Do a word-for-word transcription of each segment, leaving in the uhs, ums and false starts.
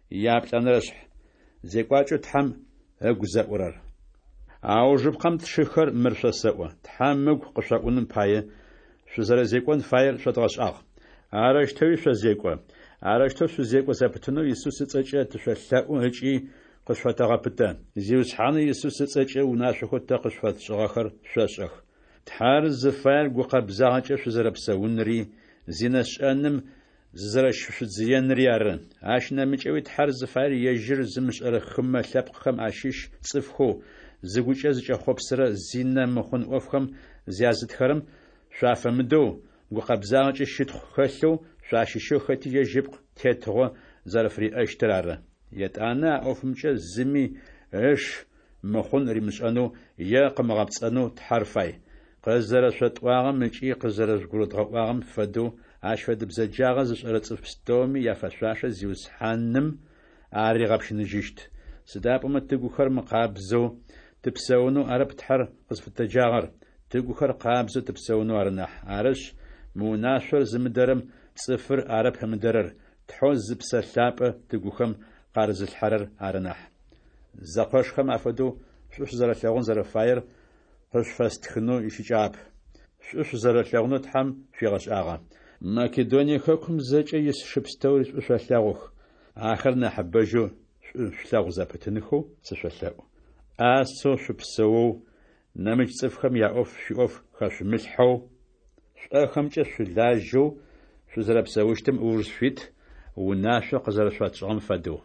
Яплӏэнэрэшъхь. Зекӏуакӏэу Тхьэм ыгу зэӏурэр. Аужыпкъэм, тшыхэр, мыр шъосэӏо: Тхьэм ыгу къышъоӏуным пае, шъузэрэзекӏон фаер шъодгъэшӏагъ. Арэущтэуи шъозекӏо. Арэущтэу шъузекӏо зэпытынэу Исус ыцӏэкӏэ тышъолъэӏу ыкӏи къышъуфэтэгъэпытэ. Зиусхьанэу Исус ыцӏэкӏэ унашъохэу тэ къышъуфэтшӏыгъэхэр шъошӏэх. Тхьэр зыфаер гукъэбзагъэкӏэ шъузэрэпсэунри, зинэ шӏэным зызэрэщышъудзыенри ары. Ащ нэмыкӏэуи Тхьэр зыфаер ежьыр зымышӏэрэ хымэ лъэпкъхэм ащыщ цӏыфхэу, зыгукӏэ зыкӏэхъопсырэ зинэ мыхъун ӏофхэм зязытхэрэм шъуафэмыдэу, гукъэбзагъэкӏэ щытхъу хэлъэу шъуащыщэу хэти ежь ыпкъ тетыгъо зэрэфыриӏэщтыр ары. Етӏанэ а ӏофымкӏэ зыми ыш мыхъун римышӏэнэу е къымыгъэпцӏэнэу Тхьэр фай. Къызэрэшъотӏуагъэм ыкӏи къызэрэжъугурыдгъэӏуагъэм фэдэу, ащ фэдэ бзэджагъэ зышӏэрэ цӏыф пстэуми яфэшъуашэ Зиусхьаным аригъэпщыныжьыщт. Сыда пӏомэ тыгухэр мыкъабзэу тыпсэунэу арэп Тхьэр къызфытэджагъэр, тыгухэр къабзэу тыпсэунэу ары нахь. Арышъ, мы унашъор зымыдэрэм цӏыфыр арэп ымыдэрэр, Тхьэу зы Псэ Лъапӏэ тыгухэм къарызылъхьэрэр ары нахь. Зэкъошхэм афэдэу шӏу шъузэрэлъэгъун зэрэфаер къышъуфэстхынэу ищыкӏагъэп. Шӏу шъузэрэлъэгъунэу Тхьэм шъуигъэшӏагъэ. Македоние хэкум зэкӏэ ис шы пстэури шӏу шъолъэгъух. Ахэр нахьыбэжьэу шӏу шъулъэгъу зэпытынхэу сышъолъэӏу. ӏасэу шъупсэоу, нэмыкӏ цӏыфхэм яӏоф шъуиӏоф хэшъумылъхьэу, шӏохэмкӏэ шъулажьэу шъузэрэпсэущтым ыуж шъуит, унашъо къызэрэшъуфэтшӏыгъэм фэдэу.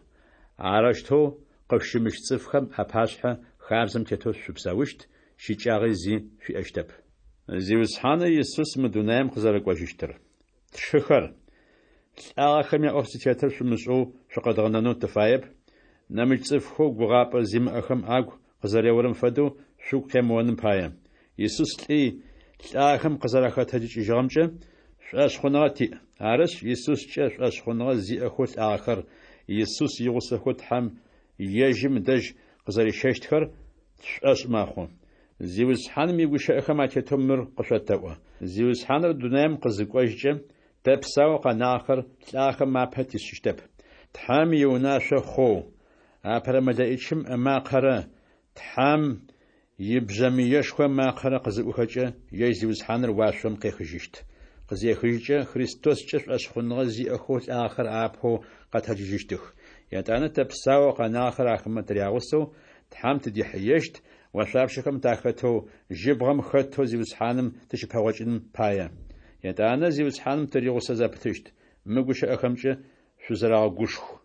Арэущтэу къышъущымыщ цӏыфхэм апашъхьэ хабзэм тетэу шъупсэущт, щыкӏагъи зи шъуиӏэщтэп. Зиусхьанэу Исус мы дунаем къызэрэкӏожьыщтыр. Тшыхэр, лӏагъэхэм яӏоф зытетыр шъумышӏэу шъукъэдгъэнэнэу тыфаеп, нэмыкӏ цӏыфхэу гугъапӏэ зимыӏэхэм агу къызэреорэм фэдэу шъугу къемыоным пае. Исус лӏи, лӏагъэхэм къызэрахэтэджыкӏыжьыгъэмкӏэ шӏошъхъуныгъэ тиӏ. Арышъ, Исускӏэ шӏошъхъуныгъэ зиӏэхэу лӏагъэхэр Исус игъусэхэу Тхьэм ежьым дэжь къызэрищэщтхэр тшӏошъ мэхъу. Зиусхьаным игущыӏэхэм атетэу мыр къышъотэӏо: Зиусхьаныр дунаем къызыкӏожькӏэ, тэ псаоу къэнагъэхэр лӏагъэхэм апэ тишъыщтэп. Тхьэм иунашъо хъоу, апэрэ мэлэӏичым ымакъэрэ Тхьэм ибжъэмыешхо ымакъэрэ къызыӏухэкӏэ, ежь Зиусхьаныр уашъом къехыжьыщт. Къызехыжькӏэ, Христоскӏэ шӏошъхъуныгъэ зиӏэхэу лӏагъэхэр апэу къэтэджыжьыщтых. Етӏанэ тэ псаоу къэнагъэхэр ахэмэ тырягъусэу Тхьэм тыдихьыещт, ошъуапщэхэм тахэтэу, жьыбгъэм хэтэу Зиусхьаным тыщыпэгъокӏыным пае. Етӏанэ Зиусхьаным тыригъусэ зэпытыщт. Мы гущыӏэхэмкӏэ шъузэрэгъэгушху.